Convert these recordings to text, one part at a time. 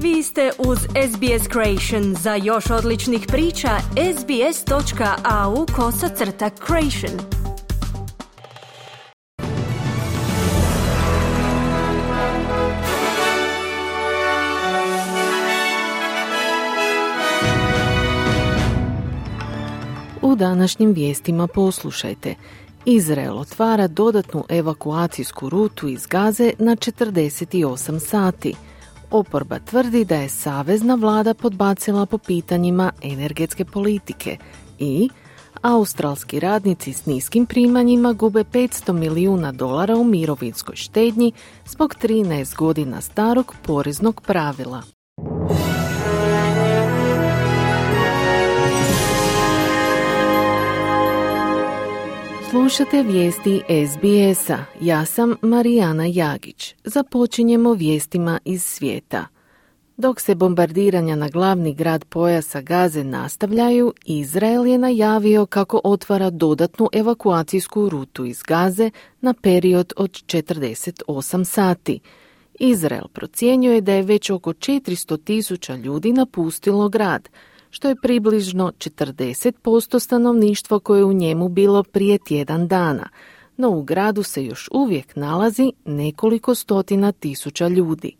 Vi ste uz SBS Creation. Za još odličnih priča, sbs.au/creation. U današnjim vijestima poslušajte. Izrael otvara dodatnu evakuacijsku rutu iz Gaze na 48 sati. Oporba tvrdi da je savezna vlada podbacila po pitanjima energetske politike i australski radnici s niskim primanjima gube $500 milijuna u mirovinskoj štednji zbog 13 godina starog poreznog pravila. Slušate vijesti SBS-a. Ja sam Marijana Jagić. Započinjemo vijestima iz svijeta. Dok se bombardiranja na glavni grad pojasa Gaze nastavljaju, Izrael je najavio kako otvara dodatnu evakuacijsku rutu iz Gaze na period od 48 sati. Izrael procjenjuje da je već oko 400,000 ljudi napustilo grad, što je približno 40% stanovništva koje je u njemu bilo prije tjedan dana, no u gradu se još uvijek nalazi nekoliko stotina tisuća ljudi.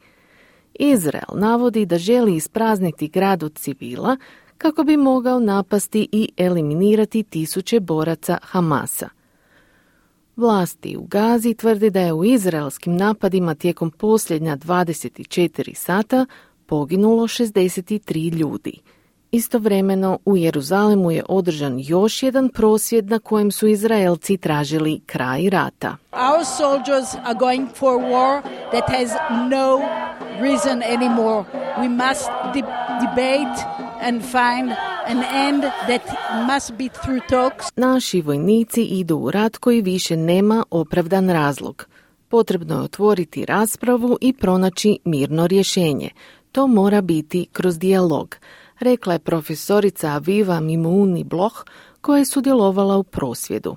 Izrael navodi da želi isprazniti grad od civila kako bi mogao napasti i eliminirati tisuće boraca Hamasa. Vlasti u Gazi tvrde da je u izraelskim napadima tijekom posljednja 24 sata poginulo 63 ljudi. Istovremeno u Jeruzalemu je održan još jedan prosvjed na kojem su Izraelci tražili kraj rata. Our soldiers are going for a war that has no reason anymore. We must debate and find an end that must be through talks. Naši vojnici idu u rat koji više nema opravdan razlog. Potrebno je otvoriti raspravu i pronaći mirno rješenje. To mora biti kroz dijalog, rekla je profesorica Aviva Mimouni Bloch koja je sudjelovala u prosvjedu.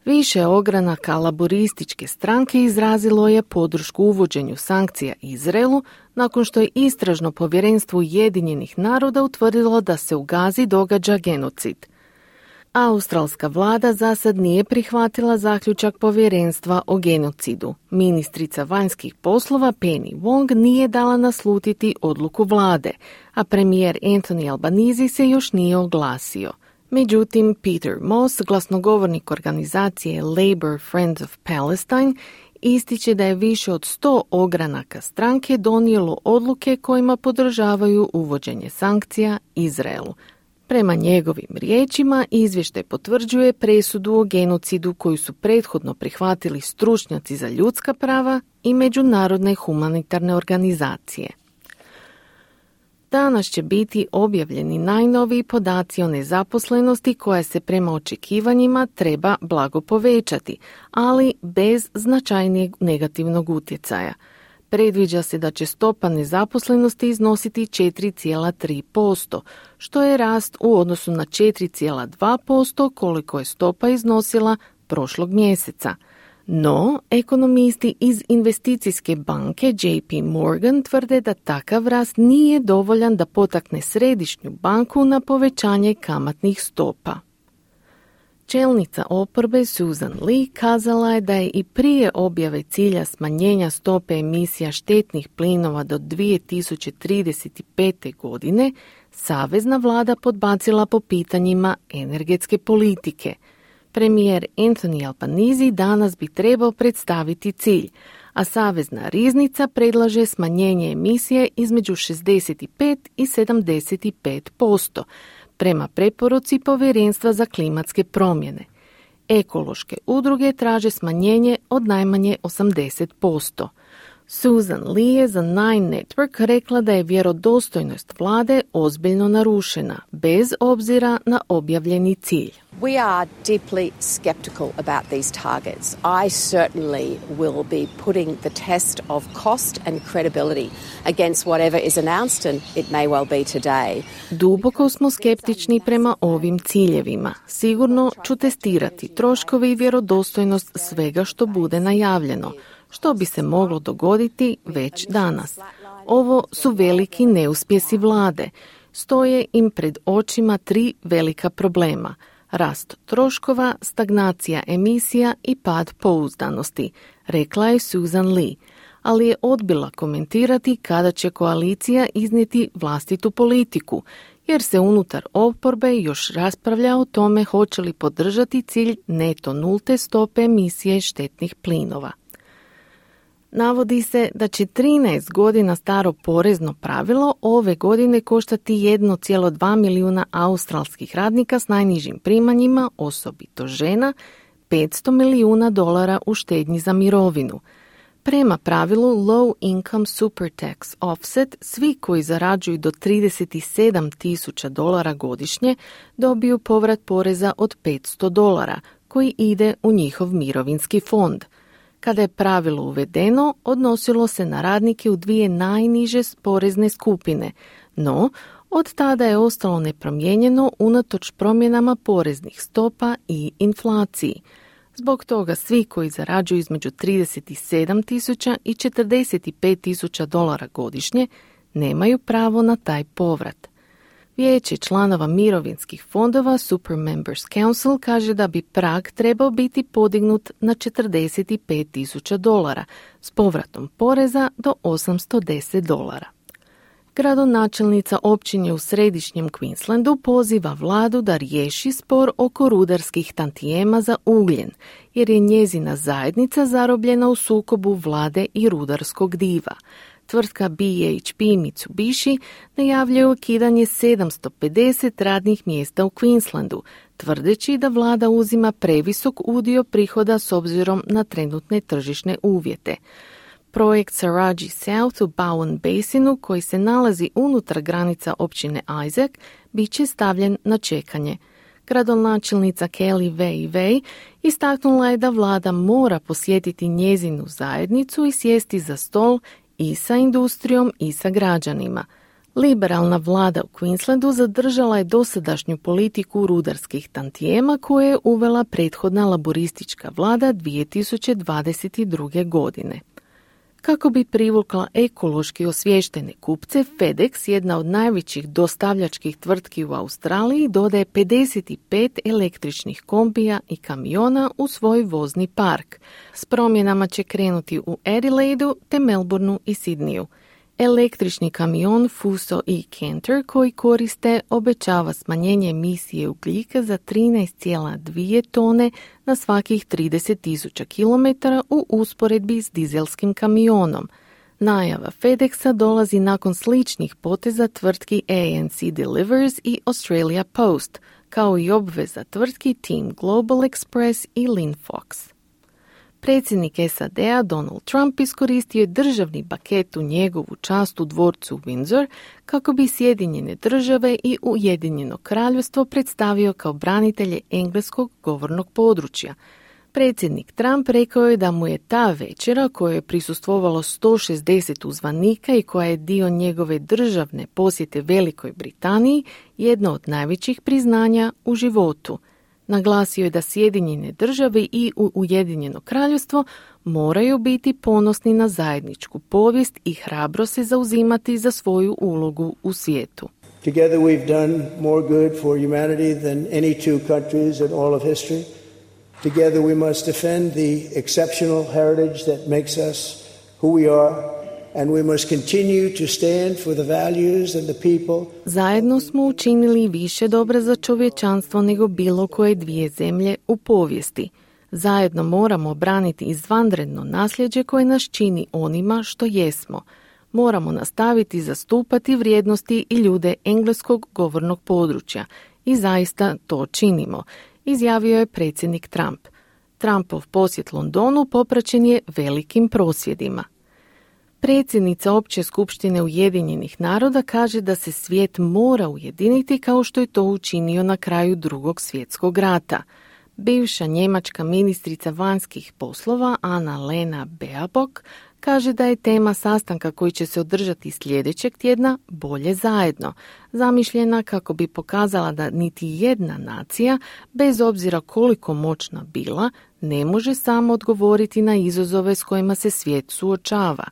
Više ogranaka laborističke stranke izrazilo je podršku uvođenju sankcija Izraelu nakon što je Istražno povjerenstvo Ujedinjenih naroda utvrdilo da se u Gazi događa genocid. Australska vlada za sad nije prihvatila zaključak povjerenstva o genocidu. Ministrica vanjskih poslova Penny Wong nije dala naslutiti odluku vlade, a premijer Anthony Albanese se još nije oglasio. Međutim, Peter Moss, glasnogovornik organizacije Labour Friends of Palestine, ističe da je više od 100 ogranaka stranke donijelo odluke kojima podržavaju uvođenje sankcija Izraelu. Prema njegovim riječima, izvještaj potvrđuje presudu o genocidu koju su prethodno prihvatili stručnjaci za ljudska prava i međunarodne humanitarne organizacije. Danas će biti objavljeni najnoviji podaci o nezaposlenosti koja se prema očekivanjima treba blago povećati, ali bez značajnijeg negativnog utjecaja. Predviđa se da će stopa nezaposlenosti iznositi 4,3%, što je rast u odnosu na 4,2% koliko je stopa iznosila prošlog mjeseca. No, ekonomisti iz investicijske banke JP Morgan tvrde da takav rast nije dovoljan da potakne središnju banku na povećanje kamatnih stopa. Čelnica oporbe Susan Lee kazala je da je i prije objave cilja smanjenja stope emisija štetnih plinova do 2035. godine savezna vlada podbacila po pitanjima energetske politike. Premijer Anthony Albanese danas bi trebao predstaviti cilj, a savezna riznica predlaže smanjenje emisije između 65 i 75%, prema preporuci Povjerenstva za klimatske promjene. Ekološke udruge traže smanjenje od najmanje 80%. Susan Lee je za Nine Network rekla da je vjerodostojnost vlade ozbiljno narušena, bez obzira na objavljeni cilj. We are deeply skeptical about these targets. I certainly will be putting the test of cost and credibility against whatever is announced, and it may well be today. Duboko smo skeptični prema ovim ciljevima. Sigurno ću testirati troškove i vjerodostojnost svega što bude najavljeno, što bi se moglo dogoditi već danas. Ovo su veliki neuspjesi vlade. Stoje im pred očima 3 velika problema. Rast troškova, stagnacija emisija i pad pouzdanosti, rekla je Susan Lee, ali je odbila komentirati kada će koalicija iznijeti vlastitu politiku, jer se unutar oporbe još raspravlja o tome hoće li podržati cilj neto nulte stope emisije štetnih plinova. Navodi se da će 13 godina staro porezno pravilo ove godine koštati 1,2 milijuna australskih radnika s najnižim primanjima, osobito žena, $500 milijuna u štednji za mirovinu. Prema pravilu Low Income Super Tax Offset, svi koji zarađuju do $37,000 godišnje dobiju povrat poreza od $500 koji ide u njihov mirovinski fond. Kada je pravilo uvedeno, odnosilo se na radnike u 2 najniže porezne skupine, no od tada je ostalo nepromijenjeno unatoč promjenama poreznih stopa i inflaciji. Zbog toga svi koji zarađuju između $37,000 i $45,000 godišnje nemaju pravo na taj povrat. Vijeće članova mirovinskih fondova Super Members Council kaže da bi prag trebao biti podignut na $45,000 s povratom poreza do $810. Gradonačelnica općine u središnjem Queenslandu poziva vladu da riješi spor oko rudarskih tantijema za ugljen, jer je njezina zajednica zarobljena u sukobu vlade i rudarskog diva. Tvrtka BHP Mitsubishi najavljuje ukidanje 750 radnih mjesta u Queenslandu, tvrdeći da vlada uzima previsok udio prihoda s obzirom na trenutne tržišne uvjete. Projekt Saraji South u Bowen Basinu, koji se nalazi unutar granica općine Isaac, bit će stavljen na čekanje. Gradonačelnica Kelly Way istaknula je da vlada mora posjetiti njezinu zajednicu i sjesti za stol i sa industrijom i sa građanima. Liberalna vlada u Queenslandu zadržala je dosadašnju politiku rudarskih tantijema koje je uvela prethodna laboristička vlada 2022. godine. Kako bi privukla ekološki osviještene kupce, FedEx, jedna od najvećih dostavljačkih tvrtki u Australiji, dodaje 55 električnih kombija i kamiona u svoj vozni park. S promjenama će krenuti u Adelaidu te Melbourneu i Sydneyu. Električni kamion Fuso i Canter koji koriste obećava smanjenje emisije ugljika za 13,2 tone na svakih 30,000 km u usporedbi s dizelskim kamionom. Najava FedExa dolazi nakon sličnih poteza tvrtki ANC Delivers i Australia Post, kao i obveza tvrtki Team Global Express i Linfox. Predsjednik SAD-a Donald Trump iskoristio je državni paket u njegovu čast u dvorcu Windsor kako bi Sjedinjene države i Ujedinjeno kraljevstvo predstavio kao branitelje engleskog govornog područja. Predsjednik Trump rekao je da mu je ta večera, kojoj je prisustvovalo 160 uzvanika i koja je dio njegove državne posjete Velikoj Britaniji, jedno od najvećih priznanja u životu. Naglasio je da Sjedinjene države i Ujedinjeno kraljevstvo moraju biti ponosni na zajedničku povijest i hrabro se zauzimati za svoju ulogu u svijetu. Together we've done more good for humanity than any two countries in all of history. Together we must defend the exceptional heritage that makes us who we are. And we must continue to stand for the values and the people. Zajedno smo učinili više dobra za čovječanstvo nego bilo koje dvije zemlje u povijesti. Zajedno moramo braniti izvanredno nasljeđe koje nas čini onima što jesmo. Moramo nastaviti zastupati vrijednosti i ljude engleskog govornog područja. I zaista to činimo, izjavio je predsjednik Trump. Trumpov posjet Londonu popraćen je velikim prosvjedima. Predsjednica Opće skupštine Ujedinjenih naroda kaže da se svijet mora ujediniti kao što je to učinio na kraju Drugog svjetskog rata. Bivša njemačka ministrica vanjskih poslova Anna-Lena Baerbock kaže da je tema sastanka koji će se održati sljedećeg tjedna bolje zajedno, zamišljena kako bi pokazala da niti jedna nacija, bez obzira koliko moćna bila, ne može samo odgovoriti na izazove s kojima se svijet suočava.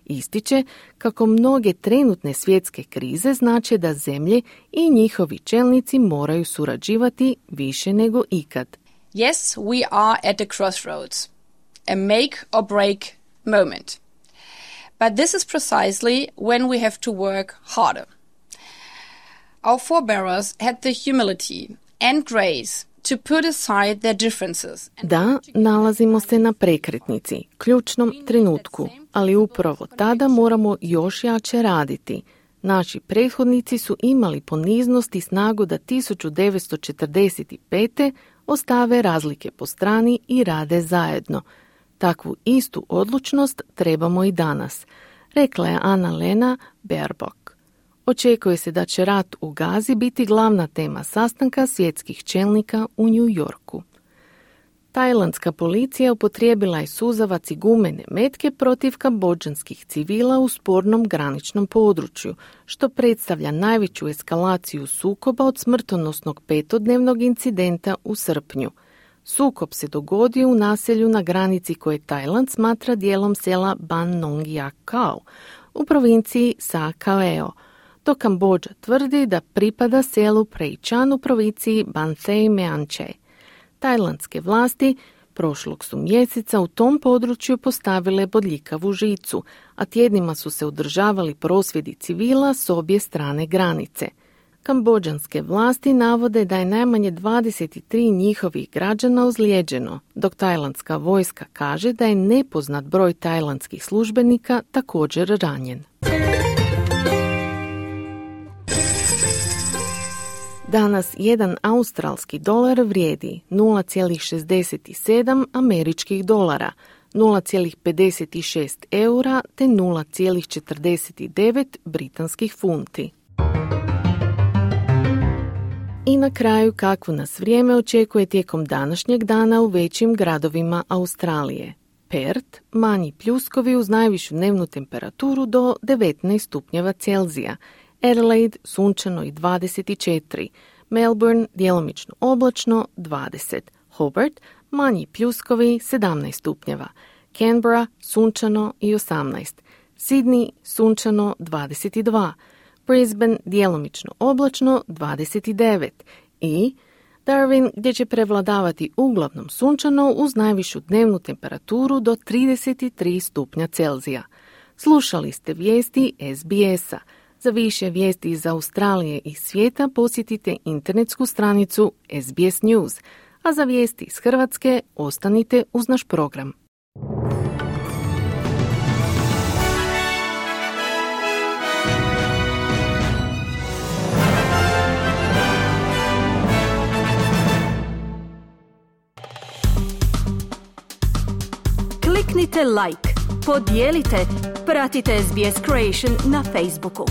Ističe kako mnoge trenutne svjetske krize znače da zemlje i njihovi čelnici moraju surađivati više nego ikad. Yes, we are at a crossroads, a make or break moment. But this is precisely when we have to work harder. Our forebears had the humility and grace to put aside their differences. Da, nalazimo se na prekretnici, ključnom trenutku, ali upravo tada moramo još jače raditi. Naši prethodnici su imali poniznost i snagu da 1945. ostave razlike po strani i rade zajedno. Takvu istu odlučnost trebamo i danas, rekla je Anna-Lena Baerbock. Očekuje se da će rat u Gazi biti glavna tema sastanka svjetskih čelnika u New Yorku. Tajlandska policija upotrijebila je suzavac i gumene metke protiv kambodžanskih civila u spornom graničnom području, što predstavlja najveću eskalaciju sukoba od smrtonosnog 5-dnevnog incidenta u srpnju. Sukob se dogodio u naselju na granici koje Tajland smatra dijelom sela Ban Nong Yak Kao u provinciji Sa Kaeo, dok Kambodža tvrdi da pripada selu Prey Chan u provinciji Ban Thay Mean Chey. Tajlandske vlasti prošlog su mjeseca u tom području postavile bodljikavu žicu, a tjednima su se održavali prosvjedi civila s obje strane granice. Kambodžanske vlasti navode da je najmanje 23 njihovih građana ozlijeđeno, dok tajlandska vojska kaže da je nepoznat broj tajlandskih službenika također ranjen. Danas jedan australski dolar vrijedi 0,67 američkih dolara, 0,56 eura te 0,49 britanskih funti. I na kraju kakvo nas vrijeme očekuje tijekom današnjeg dana u većim gradovima Australije. Perth, manji pljuskovi uz najvišu dnevnu temperaturu do 19 stupnjeva Celzija. Adelaide, sunčano i 24. Melbourne, djelomično oblačno, 20. Hobart, manji pljuskovi, 17 stupnjeva. Canberra, sunčano i 18. Sydney, sunčano, 22. Brisbane, djelomično oblačno, 29. I Darwin, gdje će prevladavati uglavnom sunčano uz najvišu dnevnu temperaturu do 33 stupnja Celzija. Slušali ste vijesti SBS-a. Za više vijesti iz Australije i svijeta posjetite internetsku stranicu SBS News, a za vijesti iz Hrvatske ostanite uz naš program. Kliknite like, podijelite, pratite SBS Creation na Facebooku.